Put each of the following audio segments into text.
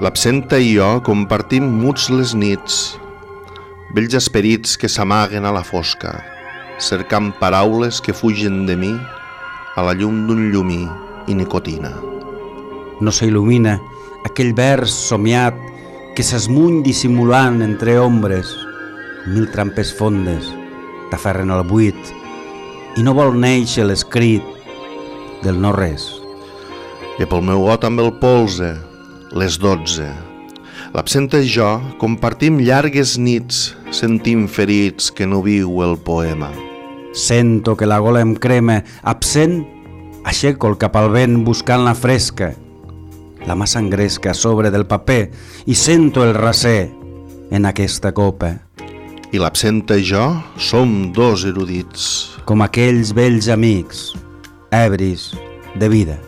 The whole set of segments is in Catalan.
L'absenta i jo compartim muts les nits, vells esperits que s'amaguen a la fosca, cercant paraules que fugen de mi a la llum d'un llumí i nicotina. No s'il·lumina aquell vers somiat que s'esmuny dissimulant entre ombres. Mil trampes fondes t'aferren al buit i no vol néixer l'escrit del no res. I pel meu got amb el polze, les 12. L'absenta i jo compartim llargues nits sentint ferits que no viu el poema. Sento que la gola em crema, absent, aixeco el cap al vent buscant la fresca. La mà s'engresca a sobre del paper i sento el raser en aquesta copa. I l'absenta i jo som dos erudits. Com aquells vells amics, ebris de vida.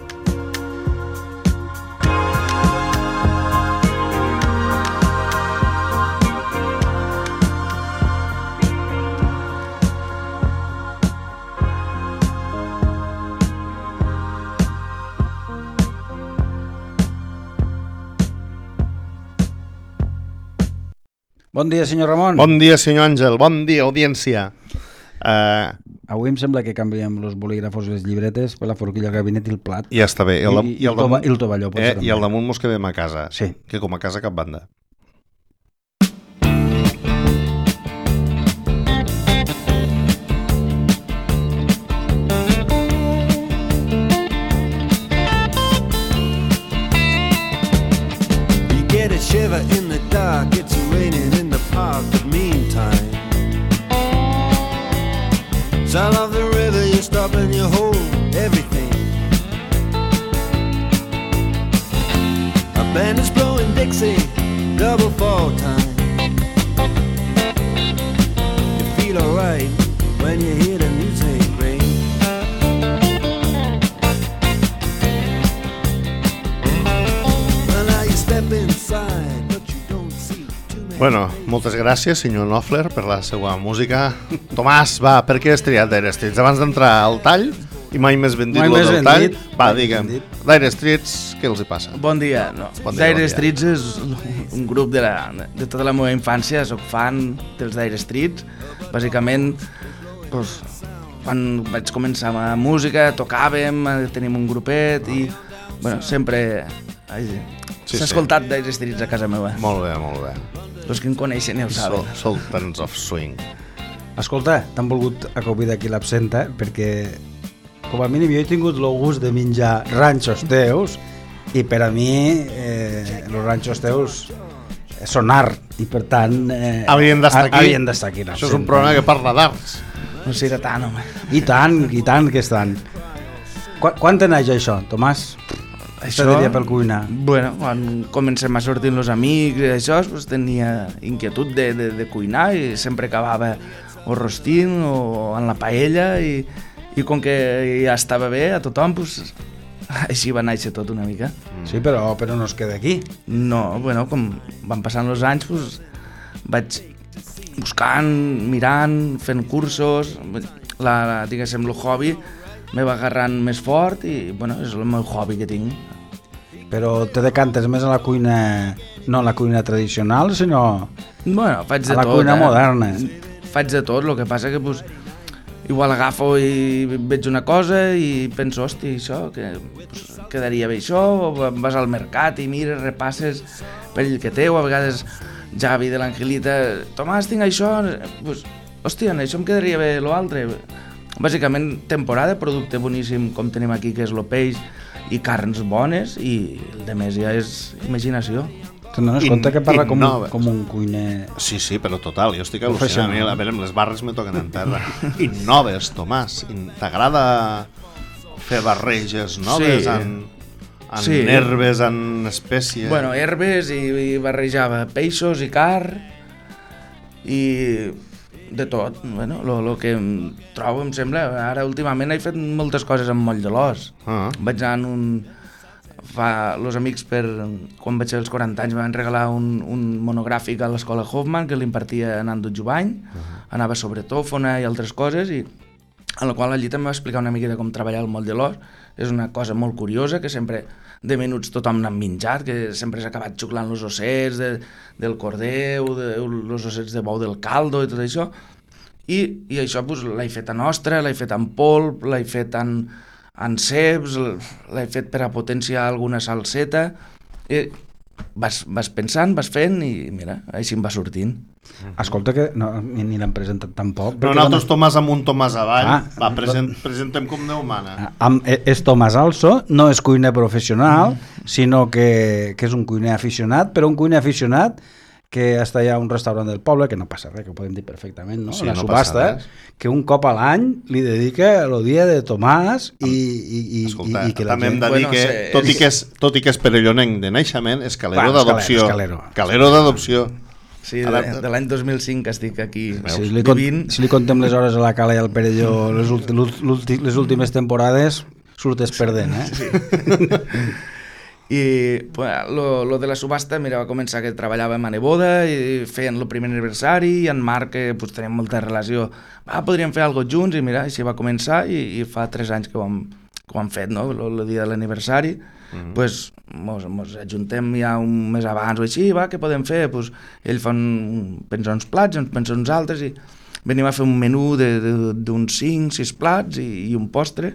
Bon dia, senyor Ramon. Bon dia, senyor Àngel. Bon dia, audiència. Avui em sembla que canviem els bolígrafos i les llibretes per la forquilla, el gabinet i el plat. Ja està bé. I el tovalló. I al damunt mos quedem a casa. Sí. Que com a casa cap banda. You get a shiver in the dark, it's raining in the park, but meantime sound of the river, you stop and you hold everything. A band is blowing Dixie, double fall time. You feel alright when you hear the music ring. Well, now you step inside, but you don't see too many. Bueno, moltes gràcies, senyor Knopfler, per la seva música. Tomàs, va, per què has triat Dire Straits? Abans d'entrar al tall, i mai més ben dit lo del tall, va, digue'm, Dire Straits, què els hi passa? Bon dia. No. Bon dia, Dire bon dia. Straits és un grup de tota la meva infància, soc fan dels Dire Straits. Bàsicament, doncs, quan vaig començar amb la música, tocàvem, tenim un grupet i bueno, sempre s'ha escoltat Dire Straits a casa meva. Molt bé, molt bé. Els que em coneixen ja ho saben. Sultans of Swing. Escolta, t'han volgut acollir d'aquí l'absenta perquè com a mínim jo he tingut el gust de menjar ranxos teus i per a mi els ranxos teus són art i per tant Havien d'estar aquí. No? Això és un programa que parla d'arts. No sé, era tant, home. I tant que estan. Quan te naix això, Tomàs? Això diria per cuinar. Bueno, quan comencem a sortir els amics i això, pues, tenia inquietud de cuinar i sempre acabava o rostint o en la paella i com que ja estava bé a tothom, pues, així va néixer tot una mica. Sí, però no es queda aquí. No, bueno, com van passant els anys, pues, vaig buscant, mirant, fent cursos, diguéssim, el hobby me va agarrant més fort i bueno, és el meu hobby que tinc. Però te decantes més a la cuina, no a la cuina tradicional, sinó bueno, faig de a la tot, cuina moderna. Faig de tot, el que passa que pues, igual agafo i veig una cosa i penso, hosti, això, que pues, quedaria bé això, o vas al mercat i mires, repasses pel que teu, a vegades Javi de l'Angelita, Tomàs, tinc això, pues, hòstia, això em quedaria bé l'altre. Bàsicament, temporada, producte boníssim com tenim aquí, que és el peix i carns bones, i el de més ja és imaginació. Te'n dones compte que parla com un cuiner... Sí, però total, jo estic al·lucinant. A veure, les barres me toquen en terra. Innoves, Tomàs. T'agrada fer barreges noves en herbes, en espècies? Bueno, herbes i barrejava peixos i carn i de tot. Bueno, el que em trobo, em sembla... Ara, últimament, he fet moltes coses amb moll de l'os. Vaig anar els amics, quan vaig fer els 40 anys, m'han regalat un monogràfic a l'escola Hoffman que l'impartia Nando Jubany. Anava sobre tòfona i altres coses i en la qual allí també va explicar una mica de com treballar el moll de l'os. És una cosa molt curiosa, que sempre de menuts tothom n'ha menjat, que sempre s'ha acabat xuclant els ossets del cordeu, els ossets de bou del caldo i tot això. I això pues, l'he fet a nostra, l'he fet en polp, l'he fet en ceps, l'he fet per a potenciar alguna salseta. I vas pensant, vas fent i mira, així em va sortint. Escolta, que ni l'hem presentat tampoc. No, nosaltres Tomàs amunt, Tomàs avall. Va, presentem com Déu mana. És Tomàs Also, no és cuiner professional, sinó que és un cuiner aficionat, però un cuiner aficionat que està allà a un restaurant del poble, que no passa res, que ho podem dir perfectament, no? Sí, la no subhasta, que un cop a l'any li dedica el dia de Tomàs Escolta, i que la també hem gent... de dir que, tot i que és perellonenc de naixement, és calero d'adopció. Calero d'adopció. Sí, de l'any 2005 que estic aquí vivint. Si li contem les hores a la Cala i al Perelló les últimes temporades, surtes perdent, eh? Sí. I lo de la subhasta, mira, va començar que treballàvem a Neboda i feien el primer aniversari i en Marc, que pues, teníem molta relació, podríem fer alguna cosa junts, i mira, així va començar i fa 3 anys que ho hem fet, no? El dia de l'aniversari. Pues mos ajuntem ja un mes abans o així, què podem fer? Pues, ell pensa uns plats, ens pensa uns altres i venim a fer un menú d'uns 5-6 plats i un postre.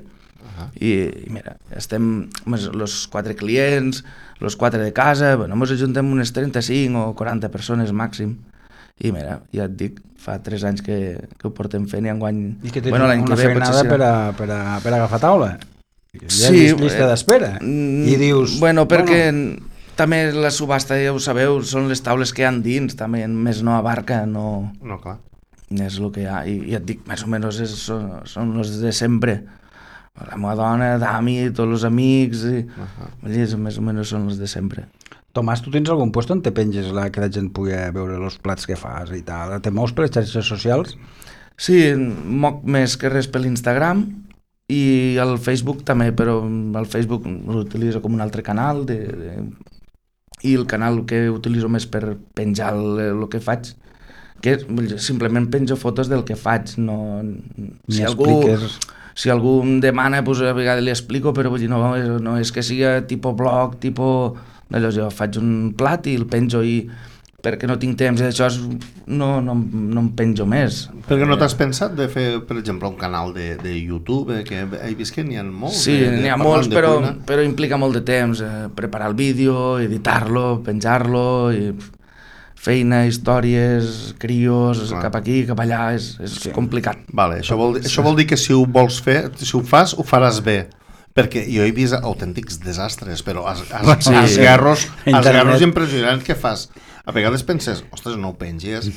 I mira, estem els 4 clients, els 4 de casa, ens ajuntem unes 35 o 40 persones màxim. I mira, ja et dic, fa 3 anys que ho portem fent i enguany... I que tens una feinada per a agafar taula. Ja és llista d'espera. I dius... perquè també la subhasta, ja ho sabeu, són les taules que hi ha dins, també més no abarca, no... No, clar. És el que hi ha, i ja et dic, més o menys són els de sempre. La meva dona, Dami, tots els amics, més o menys són els de sempre. Tomàs, tu tens algun lloc on te penges que la gent pugui veure els plats que fas i tal? Te mous per les xarxes socials? Sí, moc més que res per l'Instagram i el Facebook també, però el Facebook l'utilitzo com un altre canal i el canal que utilitzo més per penjar el que faig, que simplement penjo fotos del que faig, no... Si algú em demana, doncs a vegades li explico, però vull dir, no és que sigui tipus blog, tipus... Jo faig un plat i el penjo i perquè no tinc temps i d'això no em penjo més. Perquè no t'has pensat de fer, per exemple, un canal de YouTube, que he vist que n'hi ha molts? Sí, n'hi ha molts, però implica molt de temps, preparar el vídeo, editar-lo, penjar-lo, i feina, històries, crios, cap aquí, cap allà, és complicat. Vale, això vol dir que si ho vols fer, si ho fas, ho faràs bé. Perquè jo he vist autèntics desastres, però esgarros impressionants que fas. A vegades penses, ostres, no ho penges,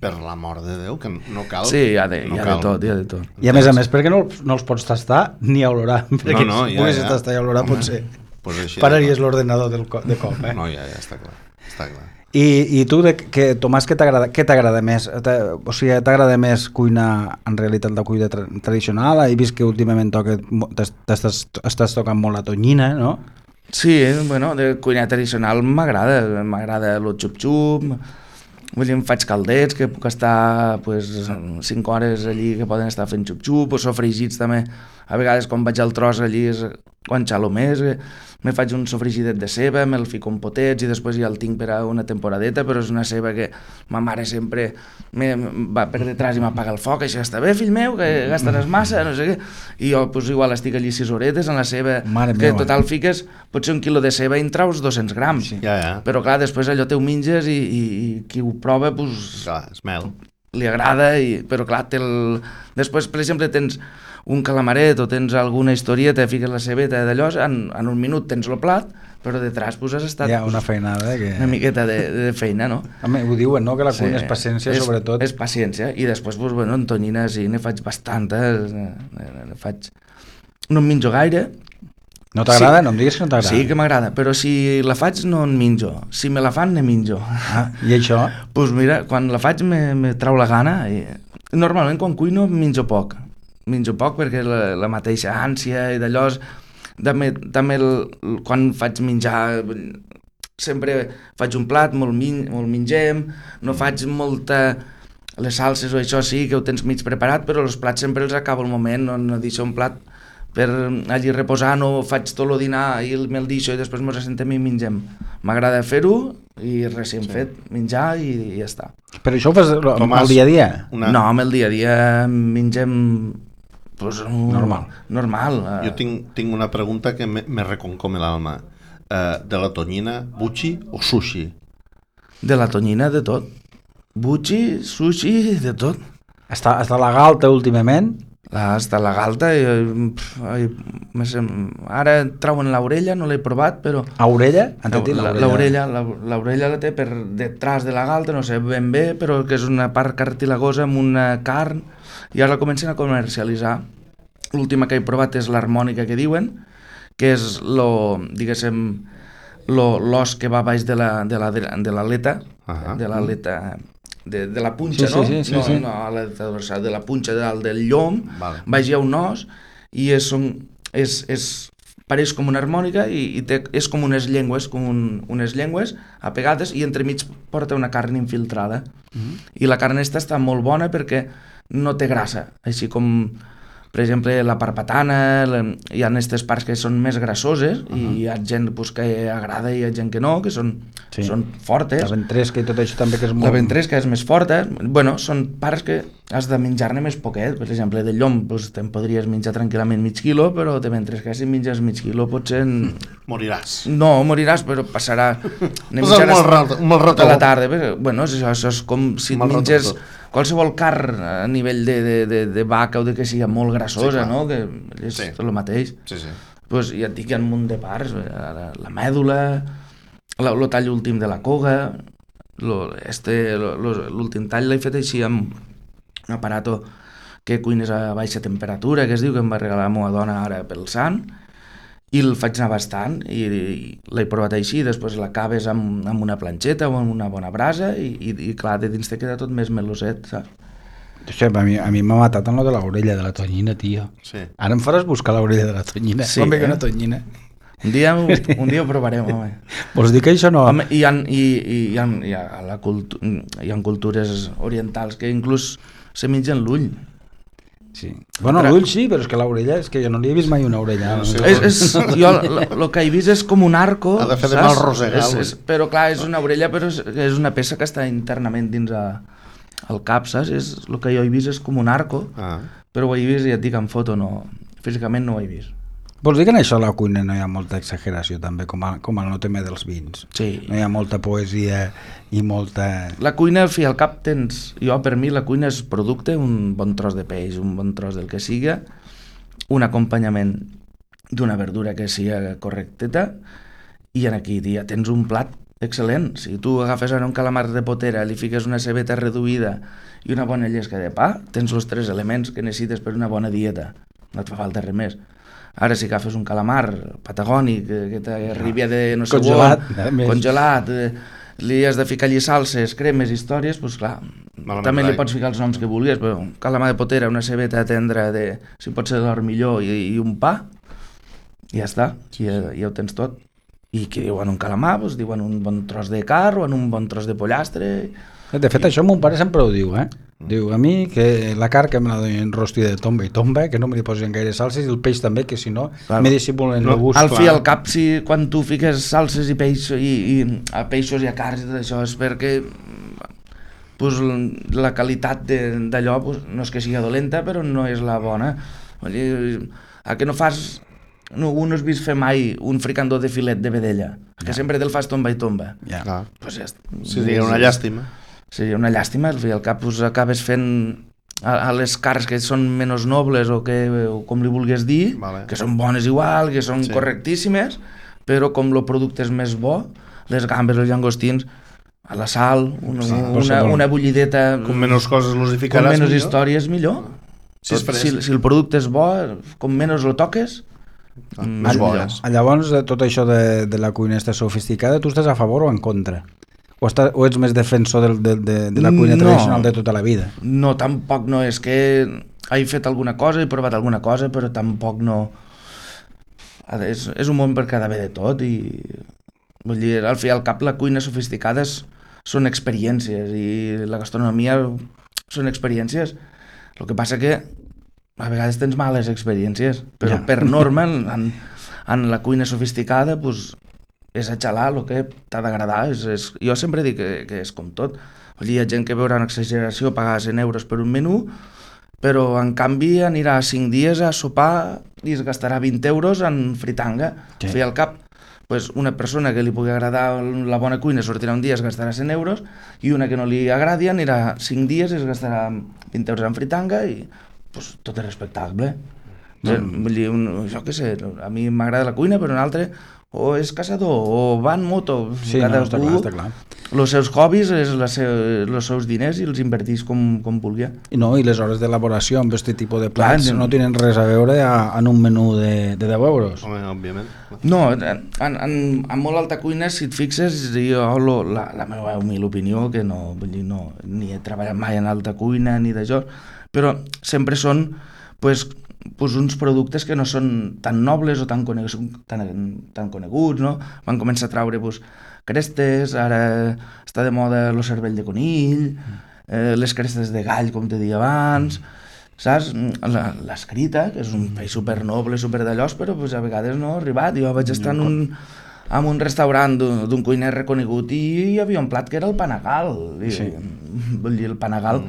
per l'amor de Déu, que no cal. Sí, hi ha de tot. I a més, perquè no els pots tastar ni a olorar. Perquè si poguessis tastar i olorar, potser pararies l'ordenador de cop. No, ja, està clar. I tu, Tomàs, què t'agrada més? O sigui, t'agrada més cuinar, en realitat, la cuina tradicional? He vist que últimament estàs tocant molt la tonyina, no? Sí, de cuina tradicional m'agrada el xup-xup, em faig caldets, que puc estar 5 hores allí que poden estar fent xup-xup, o sofregits també. A vegades quan vaig al tros allí és quan xalo més, me faig un sofregidet de ceba, me'l fico en potets i després ja el tinc per a una temporadeta, però és una ceba que ma mare sempre va per detrás i m'apaga el foc, això està bé, fill meu, que gastaràs massa, no sé què. I jo igual estic allí 6 horetes en la ceba, que total fiques potser 1 quilo de ceba i en traus 200 grams. Però clar, després allò te ho menges i qui ho prova, li agrada, però clar, després, per exemple, tens un calamaret o tens alguna historieta, fiques la cebeta d'allò, en un minut tens el plat, però detrás has estat una feinada una miqueta de feina, no? Home, ho diuen, no? Que la cuina és paciència, sobretot. És paciència, i després, en tonyina sí, ne faig bastantes, no en menjo gaire. No t'agrada? No em diguis que no t'agrada. Sí que m'agrada, però si la faig no en menjo, si me la fan ne menjo. I això? Doncs mira, quan la faig me trau la gana, i normalment quan cuino menjo poc perquè la mateixa ànsia i d'allò, també quan faig menjar sempre faig un plat, molt mengem, no faig molta les salses o això sí, que ho tens mig preparat, però els plats sempre els acabo al moment, no deixo un plat per allí reposant o faig tot el dinar i me'l deixo i després ens assentem i mengem. M'agrada fer-ho i recent fet, menjar i ja està. Però això ho fas al dia a dia? No, amb el dia a dia mengem pues, normal. Jo tinc una pregunta que me reconcome l'alma. De la tonyina, buchi o sushi? De la tonyina, de tot. Buchi, sushi, de tot. Està a la galta últimament? Està a la galta. Ara trauen l'orella, no l'he provat, però... A orella? L'orella la té per detrás de la galta, no sé ben bé, però que és una part cartilagosa amb una carn, i ara la comencen a comercialitzar. L'última que he provat és l'harmònica que diuen, que és diguéssim, l'os que va baix de l'aleta, de l'aleta, de la punxa, no? Sí. No, l'aleta dorsal, de la punxa del llom, baix hi ha un os, i pareix com una harmònica i és com unes llengües, apegades, i entremig porta una carn infiltrada. I la carn està molt bona perquè no té grassa, així com... Per exemple, la parpatana, hi ha aquestes parts que són més grassoses i hi ha gent que agrada i hi ha gent que no, que són fortes. La ventresca i tot això també que és molt... La ventresca és més forta. Bueno, són parts que has de menjar-ne més poquet. Per exemple, de llom te'n podries menjar tranquil·lament mig quilo, però de ventresca si menges mig quilo potser... Moriràs. No, moriràs, però passarà... Un mal rato. Tota la tarda. Bueno, això és com si menges... Qualsevol carn a nivell de vaca o de que sigui molt grassosa, no? Que és el mateix. Pues ja et dic, hi ha un munt de parts, la mèdula, el tall últim de la coga, l'últim tall l'he fet així amb un aparato que cuines a baixa temperatura, que es diu, que em va regalar la meva dona ara pel sant, i el faig anar bastant i l'he provat així, després l'acabes amb una planxeta o amb una bona brasa i clar, de dins te queda tot més meloset, saps? Això, a mi m'ha matat en lo de l'orella de la tonyina, tio. Sí. Ara em faràs buscar l'orella de la tonyina. Sí, com ve una tonyina? Un dia ho provarem, home. Vols dir que això no... Home, hi ha cultures orientals que inclús se mengen l'ull. Sí. Bueno, l'ull sí, però és que l'orella, és que jo no li he vist mai una orella. Jo el que he vist és com un arco. Ha de fer de mal rosegal. Però clar, és una orella, però és una peça que està internament dins el cap, saps? El que jo he vist és com un arco, però ho he vist i et dic en foto, no, físicament no ho he vist. Vols dir que en això a la cuina no hi ha molta exageració també, com en el tema dels vins? Sí. No hi ha molta poesia i molta... La cuina, al fi al cap tens... Per mi la cuina és producte, un bon tros de peix, un bon tros del que siga, un acompanyament d'una verdura que sigui correcteta, i aquí ja tens un plat excel·lent. Si tu agafes ara un calamar de potera, li fiques una cebeta reduïda i una bona llesca de pa, tens els 3 elements que necessites per una bona dieta. No et fa falta res més. Ara si agafes un calamar patagònic que t'arribi de no sé congelat, li has de ficar allí salses, cremes, històries, doncs clar, també li pots ficar els noms que vulguis, però un calamar de potera, una cebeta tendra, si pot ser de l'ormilló i un pa, ja està, ja ho tens tot. I que diuen un calamar, doncs diuen un bon tros de carn o un bon tros de pollastre. De fet, això mon pare sempre ho diu, Diu, a mi que la carn que me la donin rostida de tomba i tomba, que no me li posin gaire salses, i el peix també, que si no, me dissimulen el gust. Al fi i al cap, quan tu fiques salses i peixos a peixos i a carns i tot això, és perquè la qualitat d'allò no és que sigui dolenta, però no és la bona. A que no fas... No has vist fer mai un fricandó de filet de vedella, que sempre te'l fas tomba i tomba. Seria una llàstima. Seria una llàstima, al cap acabes fent a les carns que són menys nobles o com li vulguis dir, que són bones igual, que són correctíssimes, però com el producte és més bo, les gambes, els llangostins, a la sal, una bullideta... Com menys coses els hi ficaràs, com menys històries, millor. Si el producte és bo, com menys el toques, més bo és. Llavors, tot això de la cuina està sofisticada, tu estàs a favor o en contra? O ets més defensor de la cuina tradicional de tota la vida? No, tampoc no. És que he fet alguna cosa, he provat alguna cosa, però tampoc no... És un món per quedar bé de tot i... Vull dir, al fi i al cap, la cuina sofisticada són experiències i la gastronomia són experiències. El que passa que a vegades tens males experiències, però per norma en la cuina sofisticada pues, és a xalar el que t'ha d'agradar. Jo sempre dic que és com tot. Hi ha gent que veurà una exageració pagar 100 euros per un menú, però en canvi anirà 5 dies a sopar i es gastarà 20 euros en fritanga. Fer al cap. Pues una persona que li pugui agradar la bona cuina sortirà un dia i es gastarà 100 euros i una que no li agradi anirà 5 dies i es gastarà 20 euros en fritanga i pues, tot és respectable. Vull dir, jo què sé, a mi m'agrada la cuina, però un altre o és caçador o va en moto. Sí, està clar. Els seus hobbies, els seus diners i els invertís com vulgui. I les hores d'elaboració amb aquest tipus de plats no tenen res a veure en un menú de 10 euros. Home, òbviament. No, en molt alta cuina, si et fixes, jo la meva humil opinió, que no, vull dir, no, ni he treballat mai en alta cuina ni d'això, però sempre són pues, uns productes que no són tan nobles o tan coneguts, no? Van començar a traure pues, crestes, ara està de moda el cervell de conill, les crestes de gall, com te deia abans, saps? L'escrita, que és un peix supernoble, superdallòs, però pues, a vegades no ha arribat. Jo vaig estar en un restaurant d'un cuiner reconegut i hi havia un plat que era el panagal. Vull dir, el panagal...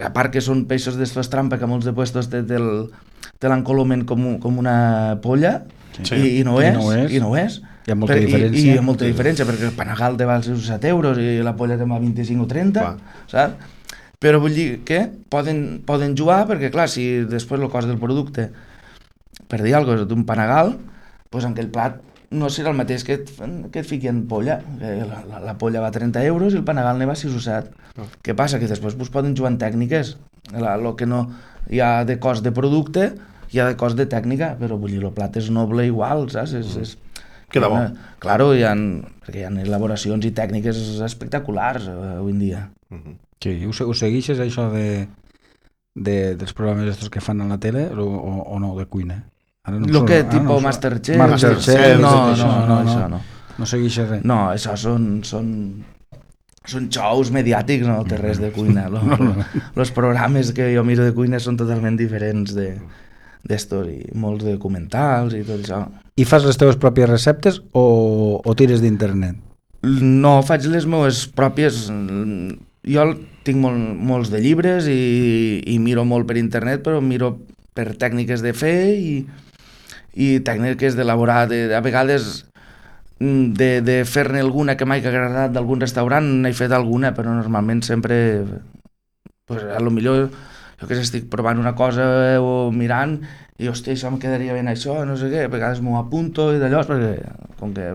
A part que són peixos d'estos trampa que molts de puestos te l'encolomen com una polla i no és. Hi ha molta diferència. I hi ha molta diferència perquè el panagal te val 7 euros i la polla te val 25 o 30, saps? Però vull dir que poden jugar perquè, clar, si després el cost del producte, per dir alguna cosa, d'un panagal, doncs en aquell plat no serà el mateix que et fiqui en polla. La polla va a 30 euros i el panagal ne va a 6 o 7. Què passa? Que després poden jugar en tècniques. El que no hi ha de cost de producte, hi ha de cost de tècnica, però vull dir, el plat és noble igual, saps? Queda bo. Claro, perquè hi ha elaboracions i tècniques espectaculars avui en dia. Sí, ho segueixes això dels programes estos que fan a la tele o no, de cuina? Lo que tipus Masterchef. No, això no. No segueixes res. No, això són xous mediàtics, no té res de cuina. Els programes que jo miro de cuina són totalment diferents d'estos i molts documentals i tot això. I fas les teves pròpies receptes o tires d'internet? No, faig les meves pròpies. Jo tinc molts de llibres i miro molt per internet, però miro per tècniques de fer i tècniques d'elaborar. A vegades de fer-ne alguna que m'ha agradat d'algun restaurant n'he fet alguna, però normalment sempre pues, a lo millor jo que sé, estic provant una cosa o mirant i hòstia, això em quedaria ben això, no sé què, a vegades m'ho apunto i d'allò, perquè com que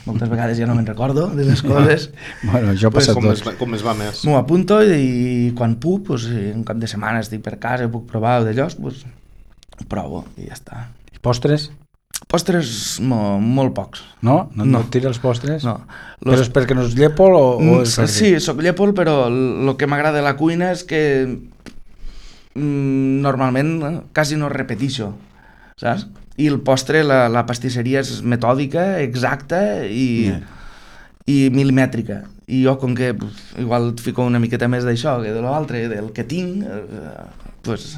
moltes vegades ja no me'n recordo de les coses. Bueno, això passa tot. Com es va més. M'ho apunto i quan puc, pues, un cap de setmana estic per casa i puc provar d'allò, pues, provo i ja està. I postres? Postres molt pocs. No? No tira els postres? No. Però és perquè no és llépol o és perquè... Sí, soc llépol, però el que m'agrada de la cuina és que normalment quasi no repeteixo, saps? I el postre, la pastisseria és metòdica, exacta i milimètrica. I jo, com que igual et fico una miqueta més d'això que de l'altre, del que tinc, pues...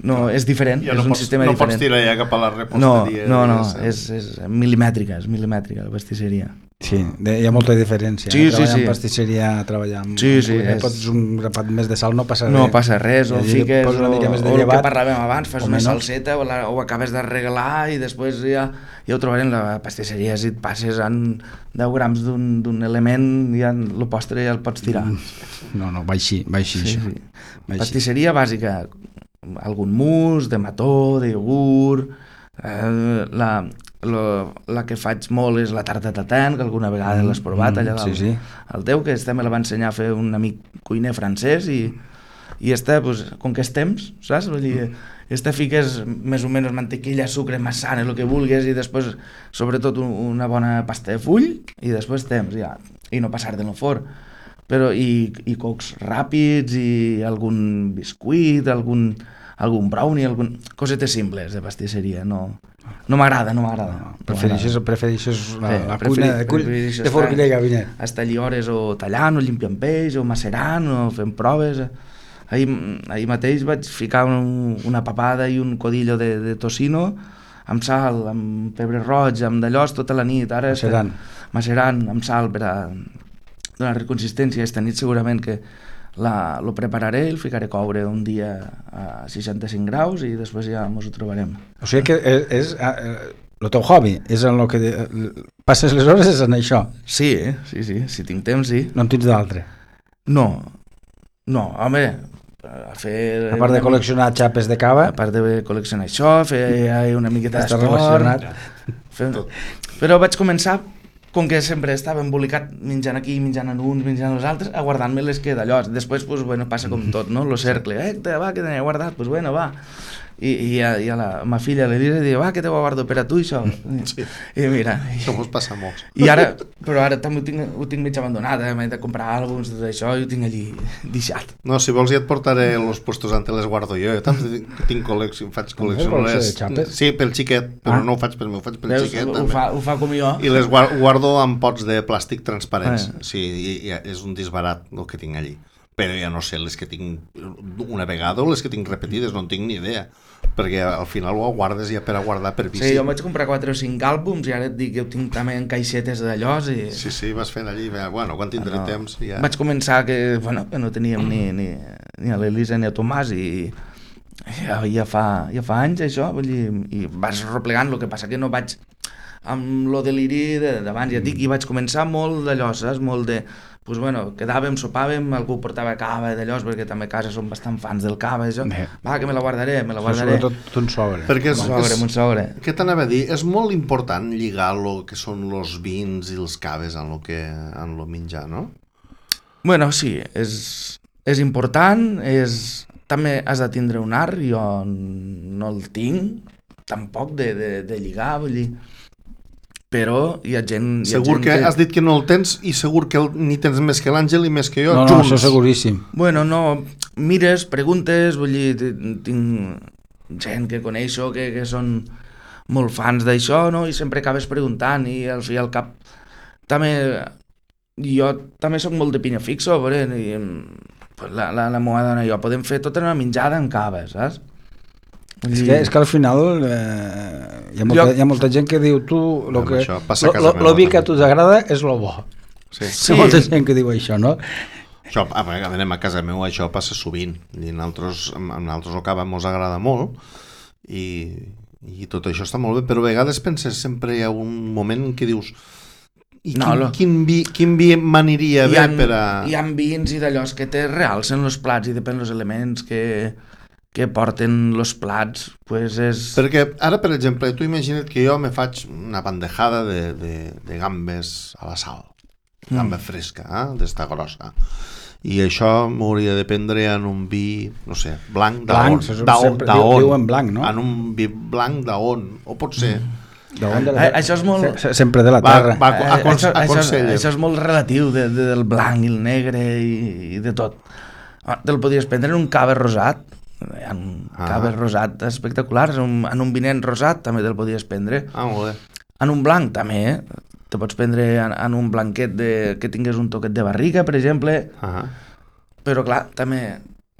No, és diferent, és un sistema diferent. No pots tirar ja cap a la reposteria. No, és milimètrica la pastisseria. Sí, hi ha molta diferència. Treballar en pastisseria, treballar amb... Sí. Pots un grapat més de sal, no passa res. No passa res, o fiques, o el que parlàvem abans, fas una salseta o acabes de regalar i després ja ho trobarem. La pastisseria, si et passes en 10 grams d'un element, ja el postre ja el pots tirar. No, va així. Sí. Pastisseria bàsica, algun mousse, de mató, de iogurt, la que faig molt és la tarta tatin, que alguna vegada l'has provat allà al teu, que me la va ensenyar a fer un amic cuiner francès i com que és temps, saps? Vull dir, fiques més o menys mantequilla, sucre, massana, el que vulguis i després sobretot una bona pasta de full i després temps, ja, i no passar de no forn. Però i cocs ràpids i algun biscuit, algun brownie, cosetes simples de pastisseria, no No m'agrada. Prefereixes la cuina de forquilla i gabinet. Estar allí hores o tallant, o limpiant peix, o macerant, o fent proves. Ahir mateix vaig ficar una papada i un codillo de tocino amb sal, amb pebre roig, amb d'allòs tota la nit. Ara macerant amb sal per a donar consistència. Esta nit segurament que lo prepararé i el ficaré a coure un dia a 65 graus i després ja ens ho trobarem. O sigui que és el teu hobby, és en el que passes les hores és en això. Sí, si tinc temps, sí. No en tens d'altre? No, home, a part de col·leccionar xapes de cava, a part de col·leccionar això, fer una miqueta d'esport, però vaig començar, com que sempre estava embolicat menjant aquí, menjant en uns, menjant els altres, a guardar-me les que d'allò. Després, pues, bueno, passa com tot, no? Lo cercle, va, que t'he guardat, pues bueno, va. I a la ma filla l'Elisa diu, va, que te ho guardo per a tu, això. Sí. I mira... Això mos passa molts. Però ara també ho tinc mig abandonat, m'he de comprar àlbums, tot això, i ho tinc allí deixat. No, si vols ja et portaré los puestos antes les guardo jo. Jo també tinc faig col·lecció. Sí, pel xiquet, però no ho faig pel meu, ho faig pel xiquet. Ho fa com jo. I les guardo en pots de plàstic transparents. Sí, i és un disbarat el que tinc allí. Però ja no sé les que tinc una vegada o les que tinc repetides, no en tinc ni idea, perquè al final ho guardes ja per a guardar per vici. Sí, jo vaig comprar 4 o 5 àlbums i ara et dic que ho tinc també en caixetes d'allòs i... Sí, vas fent allí, bueno, quan tindré temps ja... Vaig començar que no teníem ni a l'Elisa ni a Tomàs i ja fa anys això, vull dir, i vas replegant, el que passa que no vaig amb lo deliri d'abans, ja et dic, i vaig començar molt d'allò, saps? Molt de... Pues bueno, quedàvem, sopàvem, algú portava cava d'allò, perquè també a casa som bastant fans del cava, això. Va, que me la guardaré. Sobretot un sobre. Perquè un sobre. Què t'anava a dir? És molt important lligar el que són els vins i els caves en lo menjar, no? Bueno, sí, és important, també has de tindre un art, jo no el tinc, tampoc de lligar, vull dir... Però hi ha gent... Segur que has dit que no el tens i segur que ni tens més que l'Àngel i més que jo, junts. No, això seguríssim. Bueno, no, mires, preguntes, vull dir, tinc gent que coneixo que són molt fans d'això, no? I sempre acabes preguntant i al fi al cap també... Jo també soc molt de pinya fixo, i la meva dona i jo podem fer tota una menjada amb cava, saps? És que al final hi ha molta gent que diu lo vi que a tu t'agrada és lo bo. Sí. Hi ha molta gent que diu això, no? Això, a casa meu això passa sovint i en altres el cava mos agrada molt i tot això està molt bé, però a vegades penses, sempre hi ha un moment en què dius quin vi m'aniria bé per a... Hi ha vins i d'allò que te realcen els plats i depèn dels elements que porten els plats, pues és... Perquè ara, per exemple, tu imagina't que jo me faig una bandejada de gambes a la sal, gamba fresca, d'esta grossa, i això m'hauria de prendre en un vi, no sé, blanc d'on, diuen blanc, no? En un vi blanc d'on, o pot ser... Això és molt... Sempre de la terra. Això és molt relatiu del blanc i el negre i de tot. Te'l podries prendre en un cava rosat, hi ha caves rosat espectaculars, en un vinet rosat també te'l podies prendre. Molt bé. En un blanc també, te pots prendre en un blanquet que tingués un toquet de barriga, per exemple, però clar, també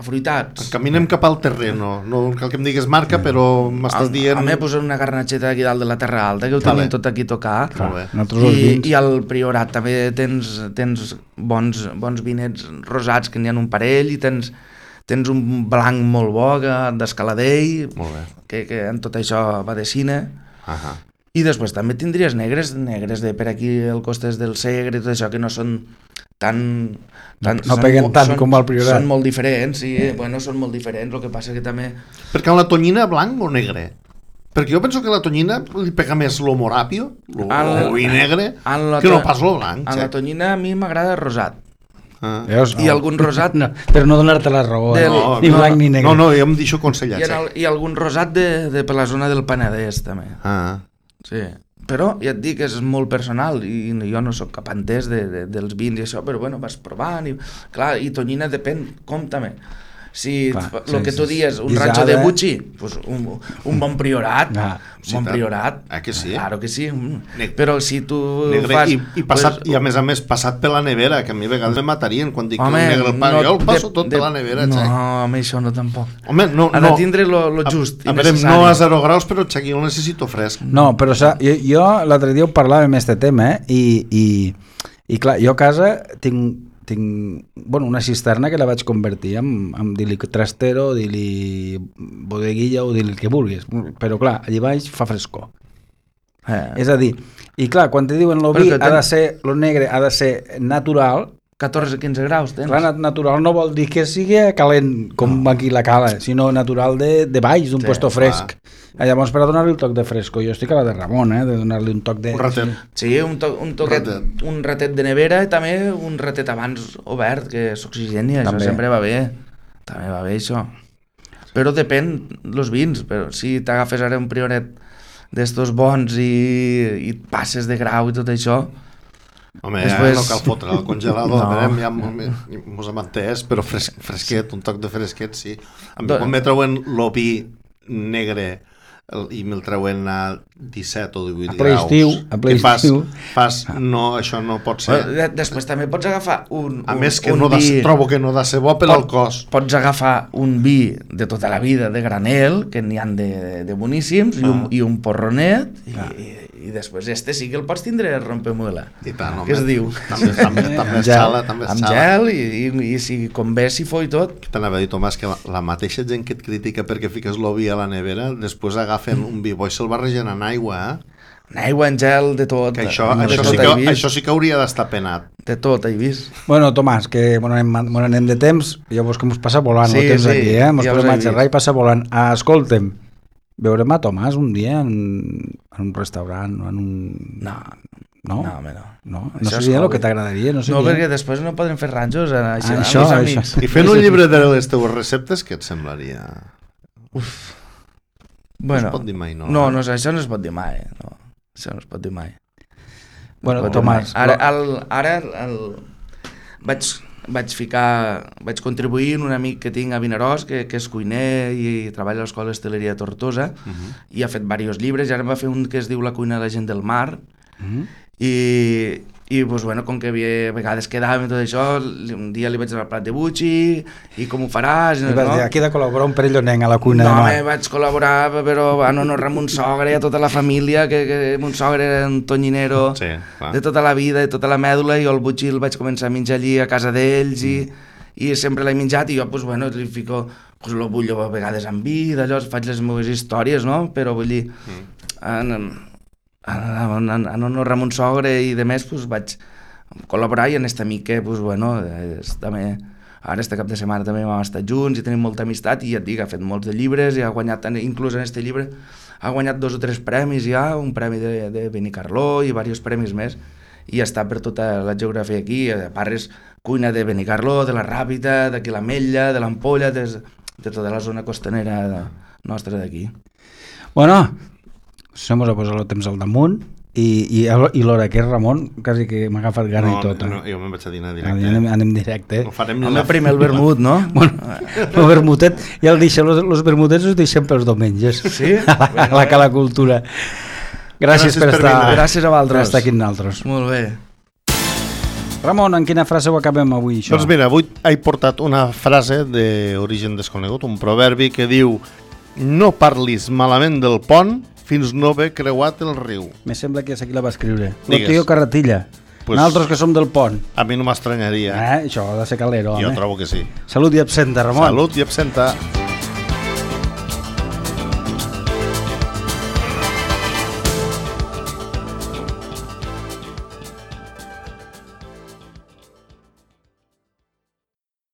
afruitats. Caminem cap al terreno, no cal que em digues marca, però m'estàs dient... A mi posen una garnatxeta aquí dalt de la Terra Alta, que ho tenim tot aquí tocat, i al Priorat també tens bons vinets rosats, que n'hi ha un parell, i tens un blanc molt bo d'Escaladell, que en tot això va de cine, i després també tindries negres de per aquí al costes del Segre i tot això, que no són no peguen tant com al Priorat. Són molt diferents, sí, són molt diferents, el que passa que també... Perquè la tonyina blanc o negre? Perquè jo penso que la tonyina li pega més lo moràpio, lo vi negre, que no pas lo blanc. En la tonyina a mi m'agrada rosat. I algun rosat... Per no donar-te la raó, ni blanc ni negre. No, jo em deixo aconsellat. I algun rosat per la zona del Penedès, també. Sí, però ja et dic que és molt personal i jo no sóc cap entès dels vins i això, però vas provant i clar, i tonyina depèn com també. Si Clar, el que tu dies, un guisada, rancho de Bucci, pues un bon priorat, Sí, bon tant. priorat. Que sí? Claro que sí. Però si tu Negre fas... i passat, i a més passat per la nevera, que a mi a vegades me matarien quan dic Home, que un negre el pa, jo el passo tot per la nevera, no, xec. home, això no tampoc. Home, no, Ha de tindre lo just a i veure, necessari. no a 0 graus, però xec, jo el necessito fresc. No, però jo l'altre dia ho parlàvem amb aquest tema, i clar, jo a casa tinc una cisterna que la vaig convertir en dir-li trastero, dir-li bodeguilla o dir-li el que vulguis, però clar, allà baix fa frescor. És a dir, i clar, quan te diuen lo vi lo negre ha de ser natural, 14-15 graus tens. clar, natural no vol dir que sigui calent com aquí la cala, sinó natural de baix, d'un puesto fresc. Llavors, per a donar-li un toc de fresco, jo estic a la de Ramon, de donar-li un toc de... Un ratet. Sí, un ratet de nevera i també un ratet abans obert, que s'oxigeni, això sempre va bé. També va bé, això. Però depèn els vins, però si t'agafes ara un prioret d'estos bons i passes de grau i tot això... Home, després... no cal fotre al congelador, ja mos hem entès, però fresquet, un toc de fresquet, sí. A mi quan me treuen l'opi negre i me'l treuen a 17 o 18 graus, a ple estiu, no, això no pot ser. Després també pots agafar a més que trobo que no ha de ser bo per al cos. Pots agafar un vi de tota la vida de granel, que n'hi han de boníssims, i un porronet, i després sí que el pots tindre a rompemuela. I tant, home. Què es diu? També és xala, també és xala. Amb gel i si convé, si fo i tot. T'anava a dir, Tomàs, que la mateixa gent que et critica perquè fiques l'ovi a la nevera, després agafen un vi bo i se'l barregen en aigua, En aigua, en gel, de tot. Que això sí que hauria d'estar penat. De tot, he vist. Bueno, Tomàs, que anem de temps, llavors que mos passa volant el temps aquí, mos podem xerrar i passa volant. Escolta'm, veurem a Tomàs un dia en un restaurant o en un... No, home, no. No seria el que t'agradaria? No, perquè després no podrem fer ranjos això. I fent un llibre de les teves receptes, què et semblaria? Bueno, no es pot dir mai, no? No, això no es pot dir mai. No. Això no es pot dir mai. Bueno, Tomàs... Ara vaig contribuir en un amic que tinc a Vinaròs, que és cuiner i treballa a l'Escola d'Hostaleria de Tortosa, i ha fet diversos llibres, i ara va fer un que es diu La cuina de la gent del mar, i pues, bueno, com que a vegades quedàvem i tot això, un dia li vaig donar el plat de Bucci i com ho faràs, i vas dir, aquí he de col·laborar un perillonenc a la cuina de mar. No, vaig col·laborar, però en honor a mon sogre i a tota la família, que mon sogre era un tonyinero de tota la vida, de tota la mèdula, i jo el Bucci el vaig començar a menjar allí a casa d'ells, i sempre l'he menjat, i jo pues, bueno, li fico el bullo a vegades amb vi, d'allò faig les meves històries, no? Però vull dir, en honor a mon sogre i de més, pues, vaig col·laborar, i en aquest amic que, pues, bueno, també, ara este cap de setmana també hem estat junts i tenim molta amistat, i ja et dic, ha fet molts de llibres i ha guanyat, inclús en aquest llibre ha guanyat 2 o 3 premis ja, un premi de Benicarló i diversos premis més, i està per tota la geografia aquí, a part és cuina de Benicarló, de la Ràpita, d'aquí l'Ametlla, de l'Ampolla, de tota la zona costanera nostra d'aquí. Bueno, se mos ha posat el temps al damunt, i l'hora que és Ramon, quasi que m'ha agafat gana i tot. No, jo me'n vaig a dinar directe. Anem directe. No farem primer el vermut, no? Bueno, el vermutet, ja el deixem, els vermutets els deixem pels diumenges. Sí? A la Cala Cultura. Gràcies per estar. Gràcies a vosaltres. Per estar aquí amb nosaltres. Molt bé. Ramon, en quina frase ho acabem avui, això? Doncs mira, avui he portat una frase d'origen desconegut, un proverbi que diu: no parlis malament del pont fins no haver creuat el riu. Me sembla que és aquí la va escriure. Digues. Lo tío Carratilla. Pues, nosaltres que som del pont. A mi no m'estranyaria. Això ha de ser calero, home. Jo trobo que sí. Salut i absenta, Ramon. Salut i absenta.